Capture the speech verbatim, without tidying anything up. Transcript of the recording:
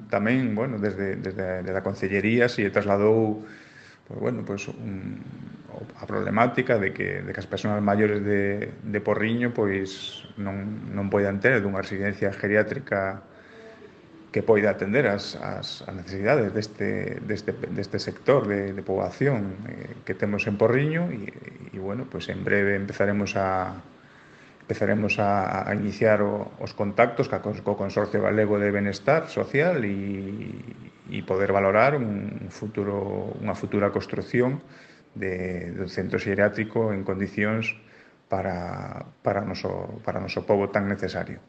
tamén, bueno, desde, desde, desde a Concellería se trasladou pues, bueno, pues, un, a problemática de que, de que as persoas maiores de, de Porriño pois non, non poidan ter dunha residencia geriátrica que poida atender as, as, as necesidades deste, deste, deste sector de, de poboación eh, que temos en Porriño e, e bueno, pues en breve empezaremos a empezaremos a, a iniciar o, os contactos ca, co Consorcio Galego de Benestar Social e, e poder valorar un futuro, unha futura construción de, do centro xeriátrico en condicións para, para, o noso, para o noso pobo tan necesario.